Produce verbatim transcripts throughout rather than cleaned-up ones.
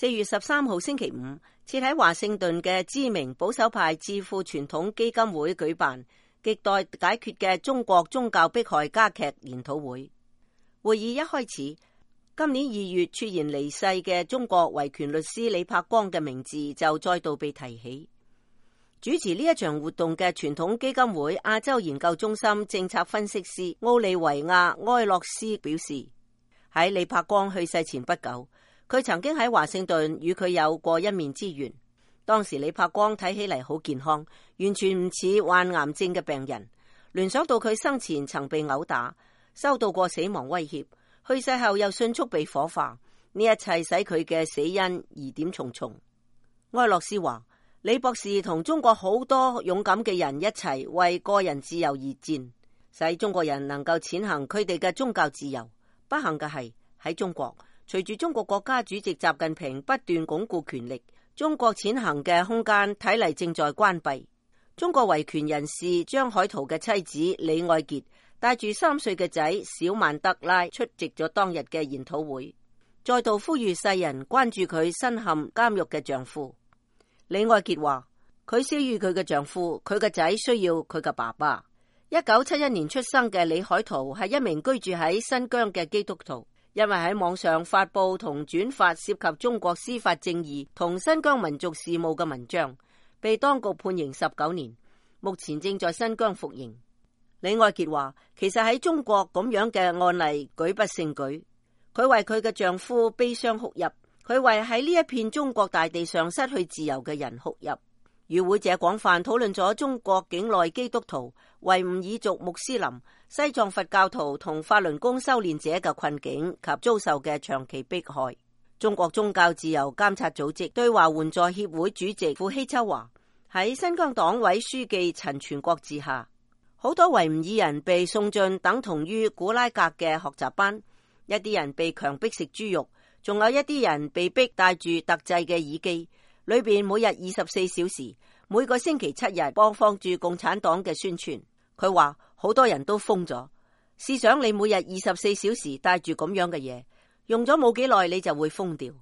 四月十三號星期五，設喺華盛頓嘅知名保守派智庫傳統基金會舉辦亟待解決嘅中國宗教迫害加劇研討會。會議一開始，今年二月猝然離世嘅中國維權律師李柏光嘅名字就再度被提起。主持呢一場活動嘅傳統基金會亞洲研究中心政策分析師奧利維亞埃洛斯表示，喺李柏光去世前不久，佢曾經喺華盛頓與佢有過一面之緣。當時李柏光睇起嚟好健康，完全唔似患癌症嘅病人。聯想到佢生前曾被毆打，收到過死亡威脅，去世後又迅速被火化，呢一切使佢嘅死因疑點重重。埃洛斯話，李博士同中國好多勇敢嘅人一齊為個人自由而戰，使中國人能夠踐行佢哋嘅宗教自由。不幸嘅係喺中國，隨住中國國家主席習近平不斷鞏固權力，中國踐行嘅空間睇嚟正在關閉。中國維權人士張海濤嘅妻子李愛潔帶住三歲嘅仔小曼德拉出席咗當日嘅研討會，再度呼籲世人關注佢身陷監獄嘅丈夫。李愛潔話，佢需要佢嘅丈夫，佢嘅仔需要佢嘅爸爸。一九七一年出生嘅李海濤係一名居住喺新疆嘅基督徒，因為喺網上發佈同轉發涉及中國司法正義同新疆民族事務嘅文章，被當局判刑十九年，目前正在新疆服刑。李愛潔話，其實喺中國咁樣嘅案例舉不勝舉，佢為佢嘅丈夫悲傷哭泣，佢為喺呢一片中國大地上失去自由嘅人哭泣。與會者廣泛討論咗中國境內基督徒、維吾爾族穆斯林、西藏佛教徒同法輪功修煉者嘅困境及遭受嘅長期迫害。中國宗教自由監察組織對華援助協會主席傅希秋話，喺新疆黨委書記陳全國治下，好多維吾爾人被送進等同於古拉格嘅學習班，一啲人被強迫食豬肉，仲有一啲人被逼戴住特製嘅耳機，裏邊每日二十四小時，每個星期七日播放住共產黨嘅宣傳。佢話好多人都瘋咗，試想你每日二十四小時戴住咁樣嘅嘢，用咗冇幾耐你就會瘋掉。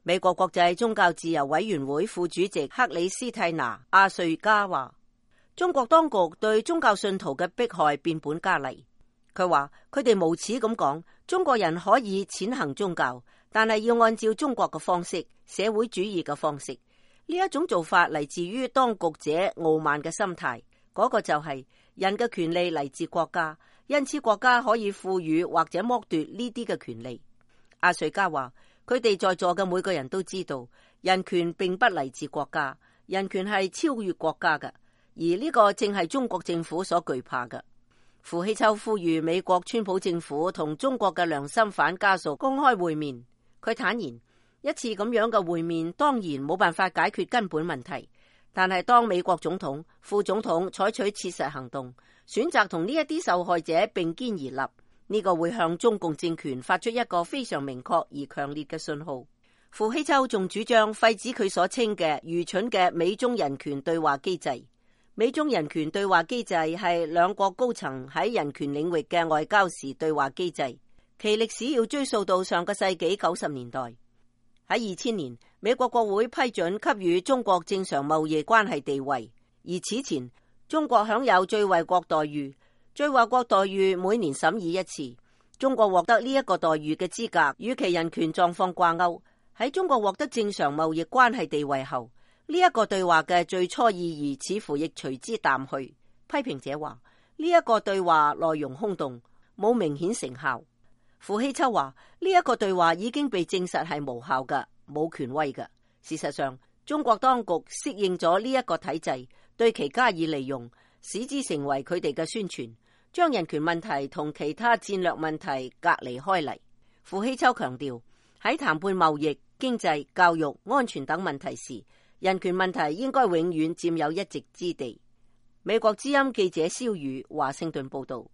美國國際宗教自由委員會副主席克里斯蒂娜阿瑞加話，中國當局對宗教信徒嘅迫害變本加厲。佢話佢哋無恥咁講，中國人可以踐行宗教，但係要按照中國嘅方式，社會主義嘅方式。呢一種做法嚟自於當局者傲慢嘅心態，嗰、那個就係人嘅權利嚟自國家，因此國家可以賦予或者剝奪呢啲嘅權利。阿瑞加話，佢哋在座嘅每個人都知道，人權並不嚟自國家，人權係超越國家嘅，而呢個正係中國政府所懼怕嘅。傅希秋呼籲美國川普政府同中國嘅良心犯家屬公開會面。佢坦言，一次咁樣嘅會面當然冇辦法解決根本問題，但係當美國總統、副總統採取切實行動，選擇同呢一啲受害者並肩而立，呢、這個會向中共政權發出一個非常明確而強烈嘅信號。傅希秋仲主張廢止佢所稱嘅愚蠢嘅美中人權對話機制。美中人權對話機制係兩國高層喺人權領域嘅外交時對話機制，其歷史要追溯到上個世紀九十年代。喺二千年，美國國會批准給予中國正常貿易關係地位，而此前中國享有最惠國待遇。最惠國待遇每年審議一次，中國獲得呢一個待遇嘅資格與其人權狀況掛鈎。喺中國獲得正常貿易關係地位後，呢一個對話嘅最初意義似乎亦隨之淡去。批評者話呢一個對話內容空洞，冇明顯成效。傅希秋話呢一個對話已經被證實係無效嘅，冇權威嘅。事實上，中國當局適應咗呢一個體制，對其加以利用，使之成為佢哋嘅宣傳，將人權問題同其他戰略問題隔離開嚟。傅希秋強調，喺談判貿易、經濟、教育、安全等問題時，人權問題應該永遠佔有一席之地。美國之音記者蕭宇華盛頓報道。